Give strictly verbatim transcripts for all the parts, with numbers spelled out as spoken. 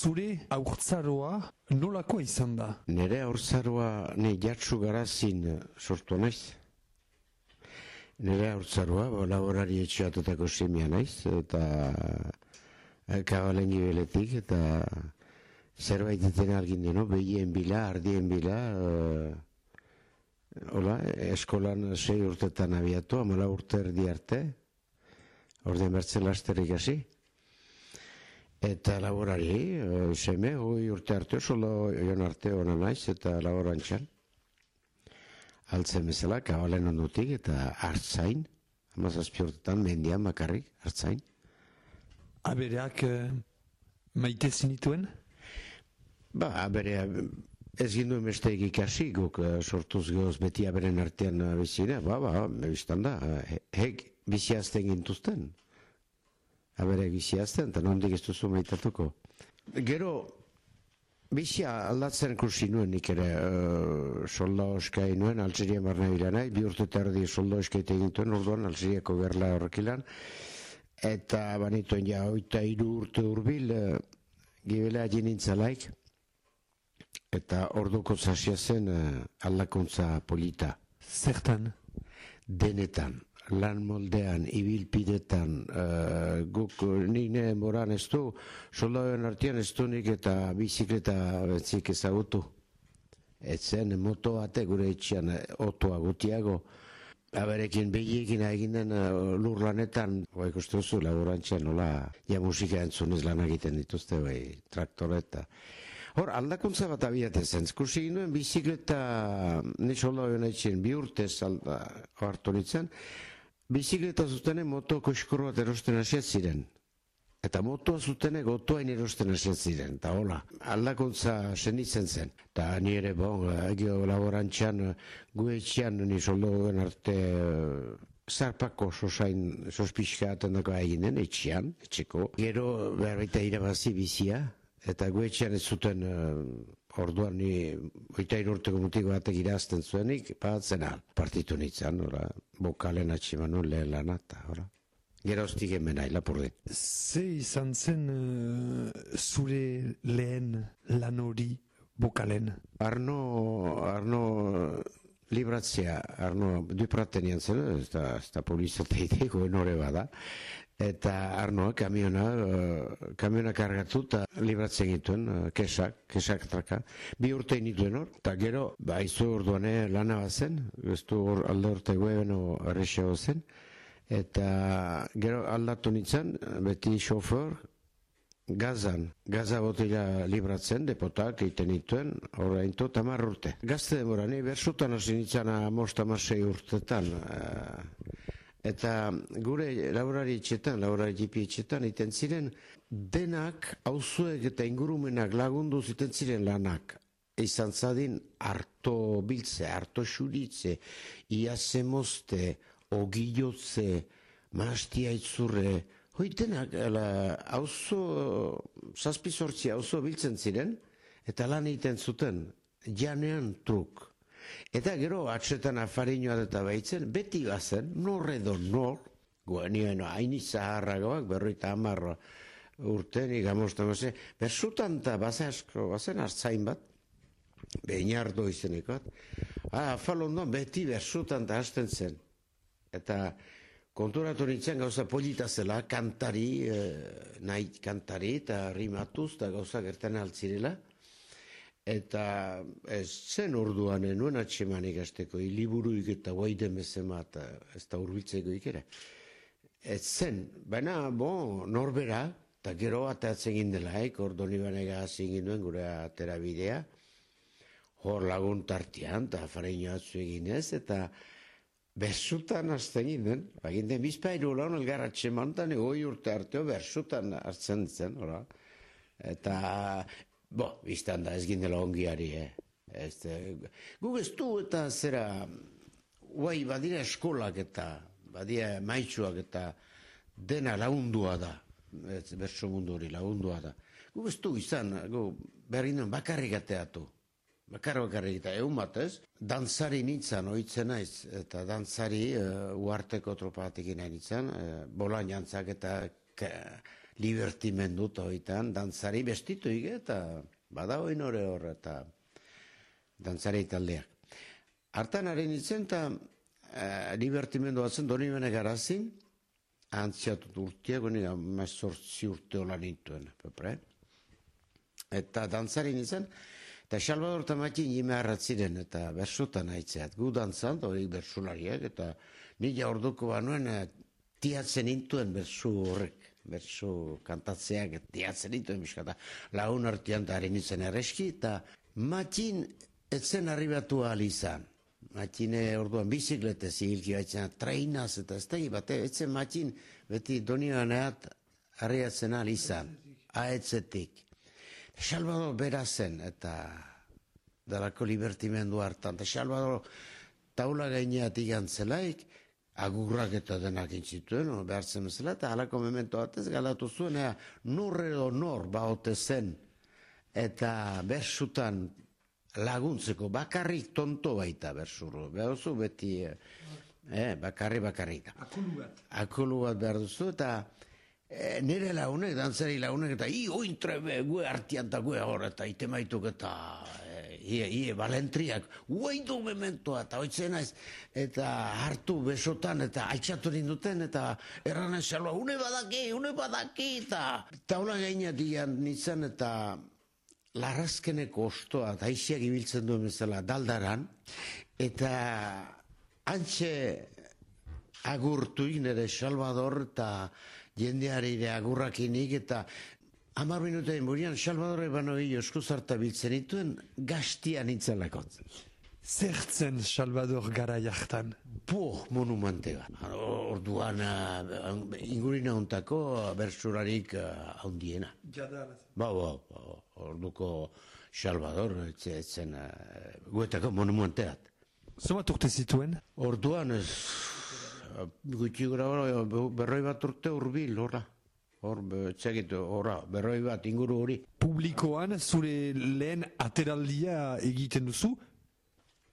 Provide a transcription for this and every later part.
zure haurtzaroa nolakoa izan da? Nere haurtzaroa ni Jatsu Garazin sortu naiz. Nere haurtzaroa, ba, laborari etxeatetako semia naiz, eta kabalen gibeletik, eta zerbait eten algin deno, behien bila, ardien bila, uh, hola, eskolan sei urtetan abiatu, amala urte erdi arte, orden bertzen lasterik hasi. Eta laborari, uh, seme, hoi urte arte, solo joan arte hona naiz, eta laborantxan. Altzen bezala, kabalen ondutik, eta hartzain, hamazazpi urtetan, mendian bakarrik, hartzain. Abereak uh, maite zinituen? Ba, aberea, ez ginduen besteik ikasi, guk uh, sortuz gehoz beti aberen artean uh, bizina, ba, ba, biztan da, uh, hek biziazten gintuzten. Abereak biziazten, eta nondik ez duzu maitatuko. Gero, bizia aldatzen kursi nuen nik ere, uh, solda oskai nuen, Algeria barna bilanai, bi urte tardi solda oskai egintuen, orduan, Algeriako gerla horrekilan, eta banituen ja, oita hiru urte urbil, uh, gibelea jinintzalaik, eta orduko zasia zen uh, aldakuntza polita. Zertan? Denetan, lan moldean, ibilpidetan, uh, guk nine moran ez du, soldauen artean ez du nik eta bizikleta betzik ezagutu. Etzen moto bate gure etxean, otoa gutiago, aberekin behiekin eginen uh, lur lanetan, bai ikuste duzu, laborantxean, nola, ja musika entzunez lan egiten dituzte, bai, traktoreta. Hor, aldakuntza bat abiatzen zen, kursi ginoen bizikleta, ni soldauen etxen, bi urtez alda, hartu nintzen, bizikleta zutenen moto koskoro bat erosten hasiat ziren. Eta motoa zutenek otoain erosten hasiat ziren, eta hola, aldakuntza senditzen zen. Eta ni ere, bon, egio laborantxan, gu etxean, ni soldauen arte, zarpako sosain, sospixka atendako eginen, etxean, etxeko. Gero, behar baita irabazi bizia, eta gu etxean ez zuten, uh, orduan ni, oita irurteko mutiko batek irazten zuenik, batzen al, partitu nintzen, ora, bokalen atximanu lehen lanata, ora. Geroztik hemen nahi, lapurdin. Ze izan zen uh, zure lehen lan hori bokalen? Arno, Arno libratzea, Arno dupratenian zen, ez da, ez da publizateiteko enore bada, eta Arnoa kamiona, uh, kamiona kargatu eta libratzen gituen, uh, kesak, kesak traka. Bi urte inituen hor, eta gero, ba, izu orduan lana bat zen, guztu hor alde urte goebeno errexeago zen, eta gero aldatu nintzen, beti xofer, gazan, gaza botila libratzen, depotak egiten dituen, horrein tot amar urte. Gazte demora, ni bersutan hasi nintzen amost amasei urtetan, uh, eta gure laborari etxetan, laborari jipi etxetan, iten ziren, denak, auzuek eta ingurumenak lagundu ziten ziren lanak. Izan zadin, harto biltze, harto xuritze, iaze mozte, ogilotze, mastia itzurre, hoi denak, auzo, zazpizortzi auzo biltzen ziren, eta lan egiten zuten, janean truk. Eta gero atxetan afarinoa eta baitzen, beti bazen, nor edo nor, guanioen haini zaharragoak, berroita amarro urten, igamosta maze, bersutan eta bazasko, bazen hartzain bat, behinardo izenekot, ah, falondoan beti bersutan eta hasten zen. Eta konturatu nintzen gauza polita zela, kantari, eh, nahi kantari, eta rimatuz, eta gauza gertan altzirela, eta ez zen orduan nuen atxeman ikasteko, liburuik eta guaiden bezema, eta ez da urbiltzeko ikera. Ez zen, baina, bon, norbera, eta gero atatzen gindelaik, ordo nibanega hazin ginduen gure atera bidea, hor lagun tartian, eta fareino atzu eginez, eta bersutan azten ginen, baginten bizpairu lan elgar atxeman, eta negoi urte arteo bersutan hartzen zen, ora. Eta, bo, biztan da ez gindela ongiari, eh. Guk ez du eta zera, guai, badira eskolak eta, badira maitsuak eta dena laundua da, berso mundu hori laundua da. Guk ez du izan, berrinden bakarrik ateatu. Bakar bakarrik eta egun batez, dantzari nintzen oitzen naiz, eta dantzari uh, uarteko tropa batekin nahi nintzen, uh, bolan jantzak eta libertimendu eta hoitan, dantzari bestitu ige, eta bada hoi nore hor, eta dantzari taldeak. Hartan haren itzen, eta e, libertimendu batzen doni bene garazin, antziatut urtiak, honi amazortzi urte hola nintuen, pepre. Eta dantzari nintzen, eta Salvador eta Matin jime harratziren, eta bersutan haitzeat. Gu dantzan, hori bersulariak, eta nila orduko banuen tiatzen intuen bersu horrek, bersu kantatzeak, tiatzen intuen biskata. Lagun artian da harin itzen erreski, eta Matin etzen arribatu ahal izan. Matine orduan bizikletez hilki baitzen, trainaz eta ez da, bate, etzen Matin beti donioan eat arriatzen ahal izan, aetzetik. Salvador bera zen, eta dalako libertimendu hartan. Eta Salvador taula gaineat igantzelaik, agurrak eta denak intzituen, behartzen bezala, eta halako memento batez galatu zuen, ea, nor edo nor baote zen, eta bersutan laguntzeko, bakarrik tonto baita bersuru. Behar duzu beti, eh, bakarri bakarrik. Akulu bat. Akulu bat behar duzu, eta E, nire launek, dantzari launek, eta i ointrebe, gue artian eta gue hor, eta ite maituk eta e, ie, ie, balentriak, guaidu mementoa, eta oitzen naiz, eta hartu besotan, eta altxatu ninduten, eta erran esalua, une badaki, une badaki, eta taula gaina dian nintzen, eta larrazkeneko ostoa, eta aiziak ibiltzen duen bezala daldaran, eta antxe agurtuik nire Salvador, eta jendeari ere agurrakinik, eta hamar minutain burian Salvador ebano hilo eskuzarta biltzen dituen gaztian itzelakot. Zertzen Salvador gara jartan? Bo, monumente bat. Orduan ingurina hontako bersurarik handiena. Jadar. Ba, ba, ba, orduko Salvador etzen guetako monumenteat. Zomat urte zituen? Orduan ez... Gutxi gura berroi bat urte urbil, horra. Hor, txegit, horra, berroi bat inguru hori. Publikoan zure lehen ateraldia egiten duzu?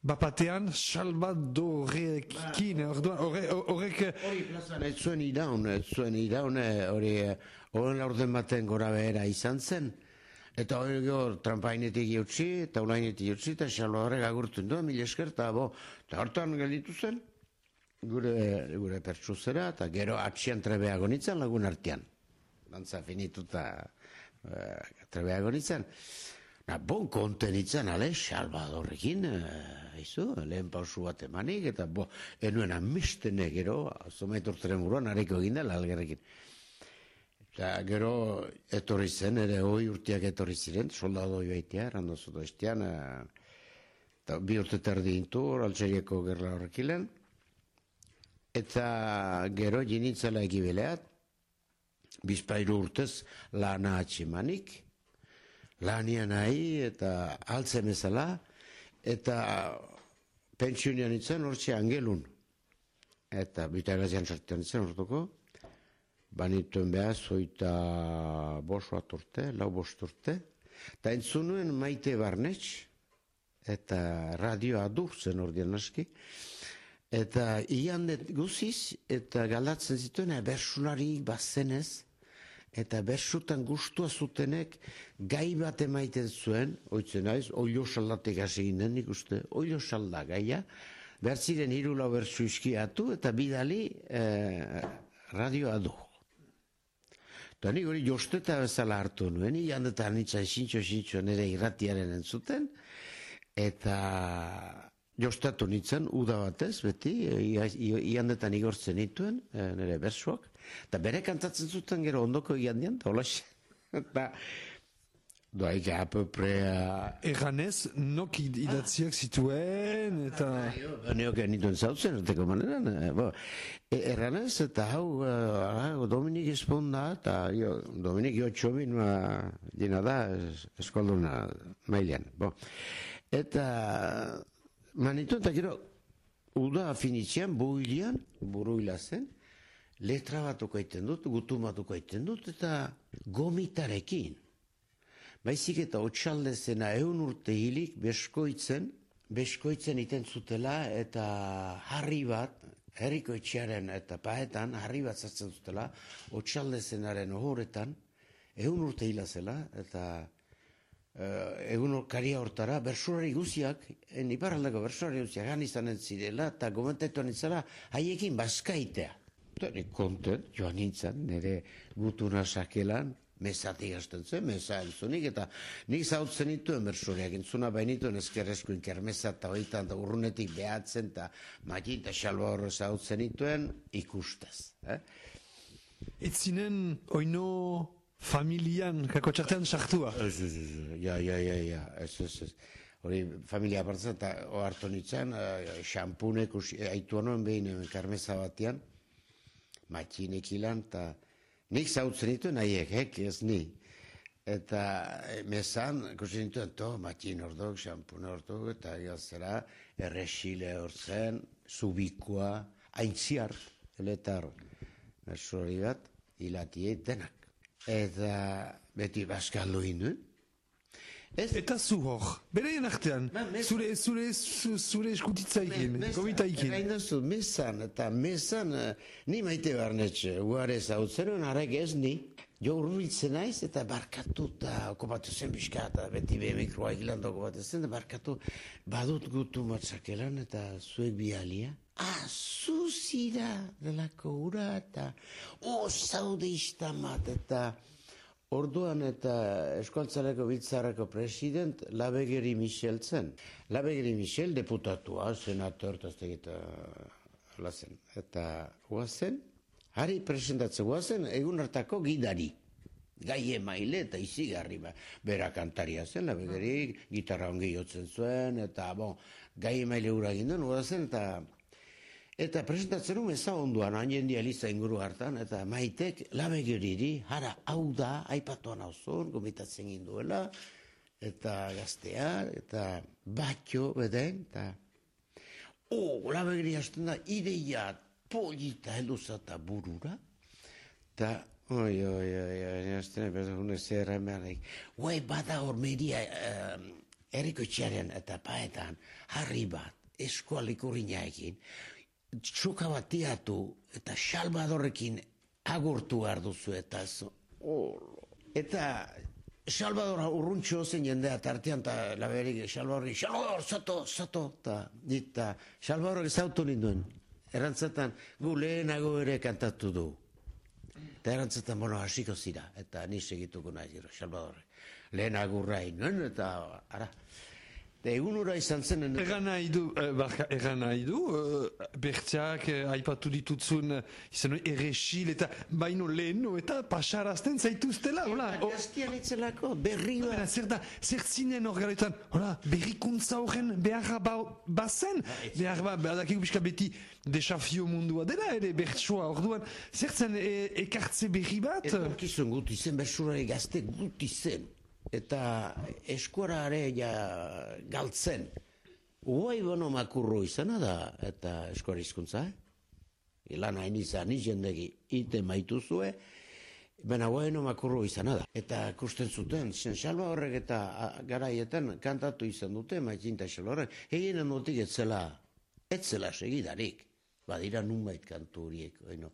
Bapatean Salvadorekin, horrek... Hori plazan ez zuen iraun, ez zuen iraun, hori horren laurden baten gora behera izan zen. Eta hori gero trampainetik jautzi, eta ulainetik jautzi, eta Salvadorek agurtu duen, mila esker, eta hartan gelditu zen. Gure, gure pertsuzera, eta gero atxian trebeago nintzen lagun artean. Dantza finituta uh, trebeago nintzen. Na, bon konten nintzen, ale, Salvadorrekin, uh, izu, lehen pausu bat emanik, eta bo, enuen amistene gero, zomaiturteren buruan, hariko egindela algerrekin. Eta gero etorri zen, ere hoi urteak etorri ziren, soldadoi baitea, errandozu doiztean, uh, bi urte terdi intu, altxerieko gerla horrekilen. Eta gero jinitzela egibileat, bizpairu urtez lana atximanik, lanian nahi eta altzen bezala, eta pentsiunian itzen hortxe angelun. Eta bitagazian sartian itzen hortuko, banituen behar zoita bost bat urte, lau bost urte, eta entzunuen Maite Barnetx, eta radio adur zen ordean aski, eta ian guziz, eta galdatzen zituen, bersularik bazenez, eta bersutan gustua zutenek gai bat emaiten zuen, oitzen naiz, oilo saldatek hasi ginen nik uste, oilo salda gaia, behar ziren hirula bersu iskiatu, eta bidali eh, radioa du. Eta nik hori josteta bezala hartu nuen, ian eta nitzan xintxo-xintxo nire irratiaren entzuten, eta... Jostatu nintzen, uda batez, beti, iandetan igortzen nituen, nire bersuak, eta bere kantatzen zuten gero ondoko iandean, eta hola eta doaik apoprea... Erranez, nok idatziak zituen, eta... Neok nituen zautzen, erteko maneran, erranez, eta hau, Dominik esponda, eta Dominik jo txomin, dina da, eskolduna mailean, eta... Manitu eta gero, uda afinitzean, builian, buruila zen, letra batuko aiten dut, gutu batuko aiten dut, eta gomitarekin. Baizik eta otxalde zena eun urte hilik beskoitzen, beskoitzen iten zutela, eta harri bat, herriko etxearen eta paetan, harri bat zartzen zutela, otxalde zenaren ohoretan, egun urte hila zela, eta uh, egun karia hortara, bersurari guziak, en iparraldeko bersurari guziak, gan izanen zirela, eta gomentetu nintzela, haiekin bazkaitea. Eta nik konten, joan nintzen, nire gutuna sakelan, mesatik hasten zen, mesa entzunik, eta nik zautzen nituen bersuriak, entzuna bainituen ezkerrezkoin kermesa eta hoitan, eta urrunetik behatzen, eta Matin eta Xalba horre zautzen nituen ikustez. Eh? Ez zinen oino familian, kako txartean sartua? Ez, ez, ez, ja, ja, ja, ja, ez, ez, ez. Hori familia partzen, eta ohartu nintzen, xampunek haitu honoen behin kermesa batean, Matinek ilan, eta nik zautzen nituen haiek, hek, ez ni. Eta mesan, ikusten nituen, to, Matin ordok, xampune ordok, eta gazera, errexile hortzen, zubikoa, aintziar, eletar, mersori bat, hilatiei denak. Eta beti bazkaldu induen. Eta zu hor, bereien artean, zure, zure, zure eskutitzaikin, gomitaikin. Gain duzu, mesan, eta mesan, ni maite barnetxe, guare zautzen, harek ez ni, jo urbiltzen naiz, eta barkatu, eta okupatu zen pixka, eta beti be mikroa egilando okupatu zen, eta barkatu, badut gutu matzakelan, eta zuek bialia. Ah, zuzira delako ura, eta, oh, zaude iztamat, eta... Orduan eta Eskualtzareko Biltzarreko president Labegeri Michel zen. Labegeri Michel deputatua, senator, eta lazen. Eta guazen, hari presentatzen guazen, egun hartako gidari. Gai emaile eta izigarri, bera kantaria zen, Labegeri, gitarra ongi jotzen zuen, eta bon, gai emaile hura ginduen, guazen, eta... Eta presentatzen un eza onduan, hain dia liza inguru hartan, eta Maitek Labegeriri, hara, hau da, aipatuan hau zon, gomitatzen ginduela, eta gaztea, eta batxo, beden, eta... Oh, Labegeri hasten da, ideia, polita, helduza eta burura, eta... Oi, oi, oi, oi, hasten da, hune zerra emeanek, guai, bada hor media, erriko txaren eta paetan, harri bat, eskualik urinaekin, txoka bat tiatu eta Salvadorrekin agurtu behar duzu eta ez. Oh. Eta Salvador urruntxo zen jendea tartean eta Labegerik Salvadorri, Salvador, zato, zato, eta Salvadorrek zautu ninduen. Erantzetan gu lehenago ere kantatu du. Eta erantzetan, bueno, hasiko zira, eta ni segituko nahi gero, Salvadorrek. Lehenago rai nuen, eta ara. Egun ura izan zen... Egan nahi du, barka, egan nahi du, bertxak aipatu ditutzun izan errexil eta baino leheno eta pasarazten zaituztela, hola? Eta gaztian itzelako, berri bat. Zer da, zer zinen hor garetan, hola, berrikuntza horren beharra bazen, behar ba, badakiko pixka beti desafio mundua dela, ere bertsoa orduan, zer zen ekartze berri bat? Etorkizun guti zen, bersurari gazte guti zen. Eta eskuarare ja galtzen. Uai bono makurro izana da, eta eskuara izkuntza, eh? Ilan hain izan, jendegi ite maituzue, baina uai no makurro izana da. Eta kusten zuten, zen Salva horrek eta garaietan kantatu izan dute, Maitin eta Salva horrek, eginen dutik etzela, etzela segidarik, badira nunbait kantu horiek, oino,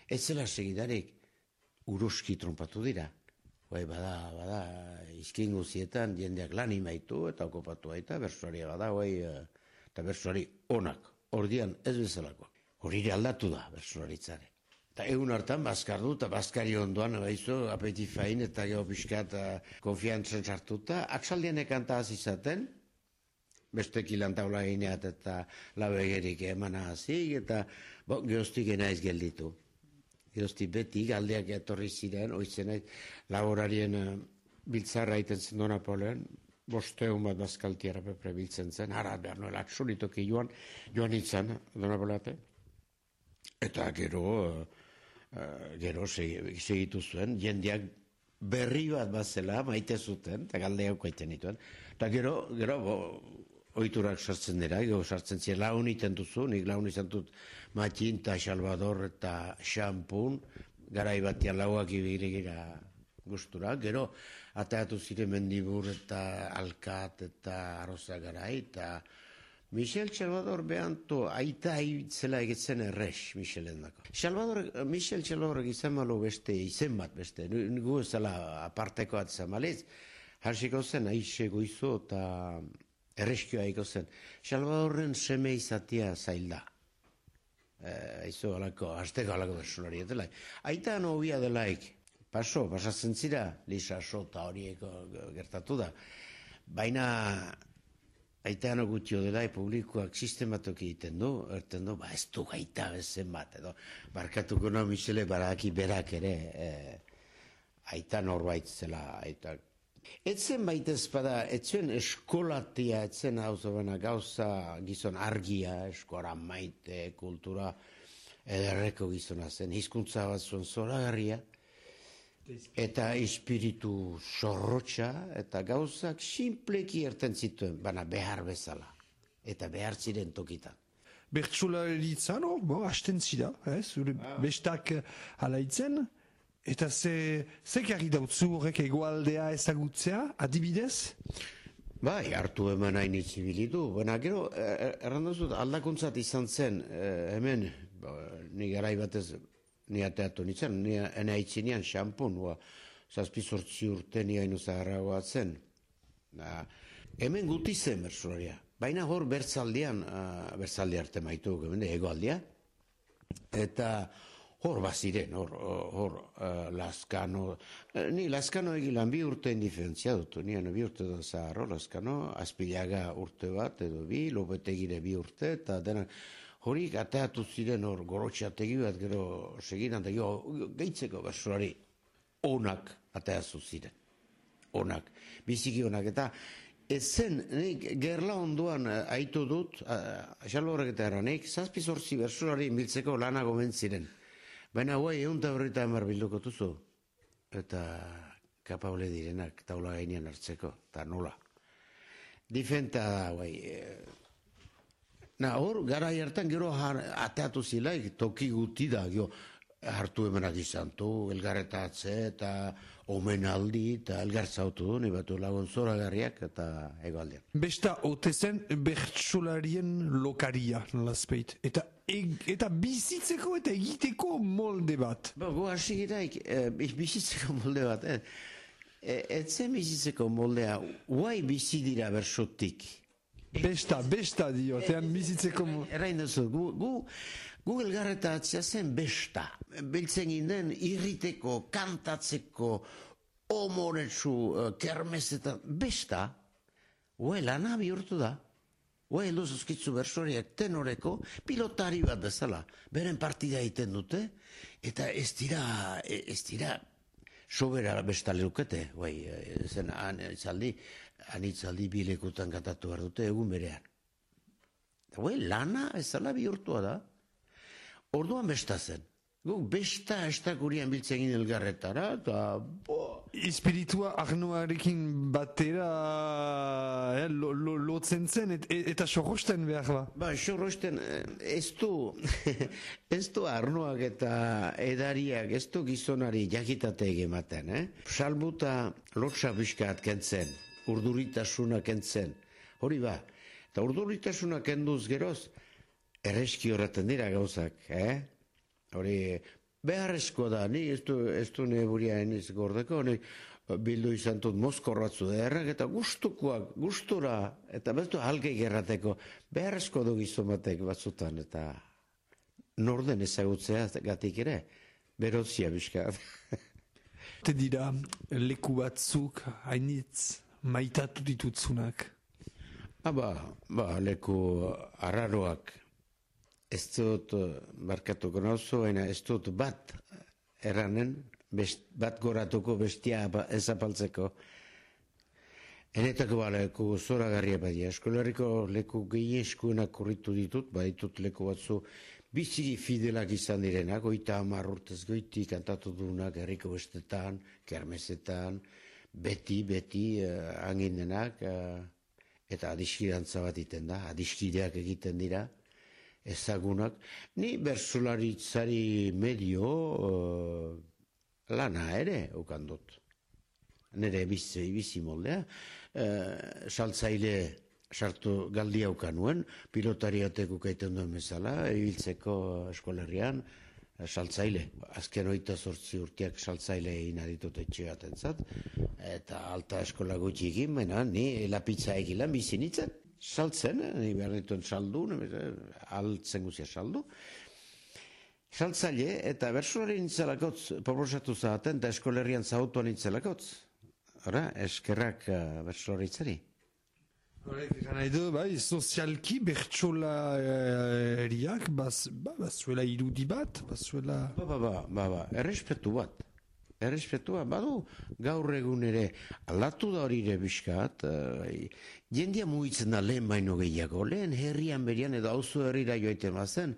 etzela segidarik, uruski trompatu dira. Bai, bada, bada, izkin guzietan jendeak lan imaitu eta okupatu baita, bersuaria bada, bai, eta bersuari onak, ordian ez bezalako. Horire aldatu da, bersuaritzare. Eta egun hartan, bazkardu eta bazkari ondoan, baizu, apetifain eta geopiska eta konfiantzen sartuta, aksaldian ekanta izaten, bestek ilantaula gineat eta Labegerik emana hazik, eta bo, geostik enaiz gelditu. Erosti beti galdeak etorri ziren, oitzen nahi, laborarien uh, biltzarra iten zen Napoleon, bosteun bat bazkaltiara pepre biltzen zen, hara behar noela, solitoki joan, joan nintzen, Napoleate. Eta gero, uh, uh, gero segitu zuen, jendeak berri bat bazela, maite zuten, eta galdeak kaiten dituen. Eta gero, gero, bo, oiturak sartzen dira, gero sartzen ziren, laun iten duzu, nik laun izan dut Matin eta Salvador eta Xampun, garai batian lauak ibirigira gustura, gero ateatu ziren Mendibur eta Alkat eta Arroza garai, eta Michel Salvador behanto aita aitzela egitzen errex, Michelen dako. Salvador, Michel Salvador izan malo beste, izen bat beste, nugu ezala aparteko atzan malez, hasiko zen, aixe goizo eta erreskioa eko zen. Salvadorren seme izatea zailda. Aizu alako, azteko alako personari etela. Aita nobia delaik, paso, pasatzen zira, Lisa Sota horieko gertatu da. Baina aitean gutio dela, publikoak sistematok egiten du, erten du, ba ez du gaita bezen bat, edo, barkatuko no Michele baraki berak ere, eh, aita norbait zela, aita. Etzen baitez bada, etzen eskolatia, etzen hau zobena gauza gizon argia, eskora maite, kultura, ederreko gizona zen, hizkuntza bat zuen zoragarria, eta espiritu zorrotxa, eta gauzak simpleki erten zituen, baina behar bezala, eta behar ziren tokitan. Bertsolaritzan, oh, bo, hasten zida, eh, zure ah. bestak alaitzen, eta ze, ze karri dautzu horrek egoaldea ezagutzea, adibidez? Bai, hartu hemen hain itzibilitu, baina gero, errandazut, aldakuntzat izan zen, eh, hemen, ba, ni garai batez, ni ateatu nintzen, ni ene haitzinean xampun, zazpizortzi urte ni hainu zaharragoa zen. Na, hemen guti zen bertsolaria, baina hor bertzaldian, uh, bertzaldi arte maitu, egoaldia, eta hor baziren, hor, hor uh, Lazkano, ni Lazkano egilan bi urte indiferentzia dut, nian bi urte da zaharro, Lazkano, Azpilaga urte bat, edo bi, Lopetegire bi urte, eta denak, horik ateatu ziren hor gorotxategi bat gero seginan da gehitzeko bersolari onak ateatu ziren. Onak, biziki onak. Eta ez zen, nik gerla onduan aitu dut, xalo horrek eta eranik, zazpi zortzi bersolari biltzeko lana gomen ziren. Baina guai egun eta horreta emar bilduko tuzu. Eta kapable direnak taula gainean hartzeko, eta nola. Difenta da guai. Na, hor, gara hartan gero ateatu zilaik, toki guti da, gero, hartu emenak izan du, elgarretatze eta omenaldi eta elgartzautu du, ni batu lagun zoragarriak eta egoaldean. Besta, ote zen bertsolarien lokaria, nolazpeit, eta, eta bizitzeko eta egiteko molde bat. Ba, go hasi giraik, e, bizitzeko molde bat, eh? E, etzen bizitzeko moldea, guai bizi dira bersotik. Besta, besta dio, tean bizitzeko... Errain duzu, gu, gu, gu elgarretatzea zen besta. Biltzen ginen irriteko, kantatzeko, omoretsu, kermezetan, besta, ue lana bihurtu da. Ue eluzuzkitzu bersoriak tenoreko, pilotari bat bezala. Beren partida egiten dute, eta ez dira, ez dira, sobera besta lehukete, ue, zen anizaldi, anitzaldi bilekutan katatu behar dute egun berean. Ue, lana ezala bihurtua da. Orduan besta zen. Guk besta estakurian biltzen ginen elgarretara, eta... Espiritua arnoarekin batera eh, lo, lo, lotzen zen, et, eta sorrosten behar ba? Ba, sorrosten, ez du, ez du arnoak eta edariak, ez du gizonari jakitate egematen, eh? Salbuta lotsa biskat kentzen, urduritasuna kentzen, hori ba, eta urduritasuna kenduz geroz, erreski horretan dira gauzak, eh? Hori, beharrezko da, ni ez du, ez du ne buria eniz gordeko, ni bildu izan dut mozkorratzu derrak, eta gustukoak, gustura, eta bestu halkei gerrateko, beharrezko du gizomatek batzutan, eta norden ezagutzea gatik ere, berozia bizkat. Te dira, leku batzuk, hainitz, maitatu ditutzunak? Aba, ba, leku arraroak, ez dut barkatuko nauzu, baina ez dut bat erranen, best, bat goratuko bestia ezapaltzeko. Enetako ba leku zoragarria badia, eskolarriko leku gehieskuenak kurritu ditut, baditut leku batzu biziki fidelak izan direnak, oita hamar urtez goiti kantatu dunak, herriko bestetan, kermesetan, beti, beti uh, anginenak, uh, eta adiskidantza bat iten da, adiskideak egiten dira, ezagunak, ni bersolaritzari medio uh, lana ere ukandut. Nere bizi, bizi moldea, uh, saltzaile sartu galdi hauka nuen, pilotariatek ukaiten duen bezala, ibiltzeko eskolerrian, saltzaile. Azken oita zortzi urteak saltzaile egin aditut etxe batentzat, eta alta eskola gutxi egin, baina ni lapitza egilan bizi nintzen, saltzen, ni behar dituen saldu, altzen guzia saldu, saltzaile, eta bertsolari nintzelakotz, proposatu zaten, eta eskolerrian zautuan nintzelakotz. Hora, eskerrak bertsolaritzari. Horrek egan nahi du, bai, sozialki bertsolariak bazuela irudi bat, bazuela... Ba, ba, ba, ba, ba, errespetu bat. Errespetu bat, badu gaur egun ere aldatu da hori ere bizkat, jendia mugitzen da lehen baino gehiago, lehen herrian berian edo auzo herrira joaiten bazen,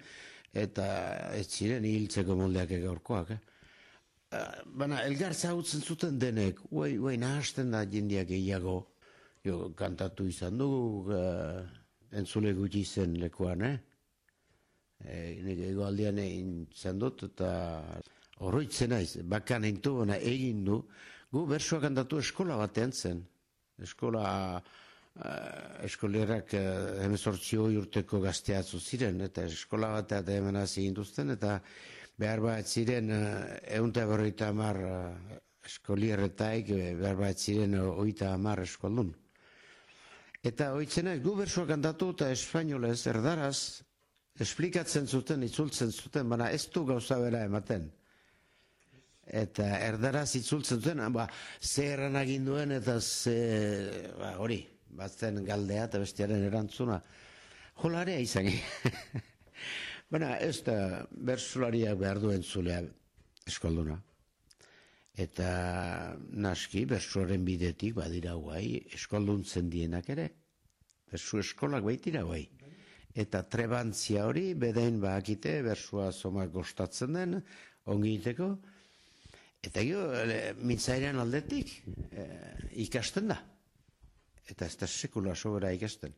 eta ez ziren hiltzeko moldeak gaurkoak, eh? Baina, elgar zagutzen zuten denek, uai, uai, nahasten da jendia gehiago, jo, kantatu izan dugu, uh, entzule gutxi zen lekuan, eh? E, Nire egoaldean egin izan dut, eta horroitzen naiz, bakan eintu, baina egin du, gu bersoa kantatu eskola batean zen. Eskola, uh, eskolerak uh, hemezortzi urteko gazteatzu ziren, eta eskola batean hemen hasi induzten, eta behar bat ziren uh, eunta berroita amar uh, eskolierretaik, behar bat ziren oita amar eskoldun. Eta hoitzena, gu bersoa kantatu eta espainolez, erdaraz, esplikatzen zuten, itzultzen zuten, baina ez du gauza bera ematen. Eta erdaraz itzultzen zuten, ba, ze erran aginduen eta ze, ba, hori, batzen galdea eta bestiaren erantzuna. Jolarea izan. Baina ez da bersolariak behar duen zulea eskolduna. Eta naski, bersuaren bidetik badira guai, eskolduntzen dienak ere. Bersu eskolak baitira guai. Eta trebantzia hori, bedain bakite, bersua zoma gostatzen den, ongi iteko. Eta gio, mintzairean aldetik, e, ikasten da. Eta ez da sekula sobera ikasten.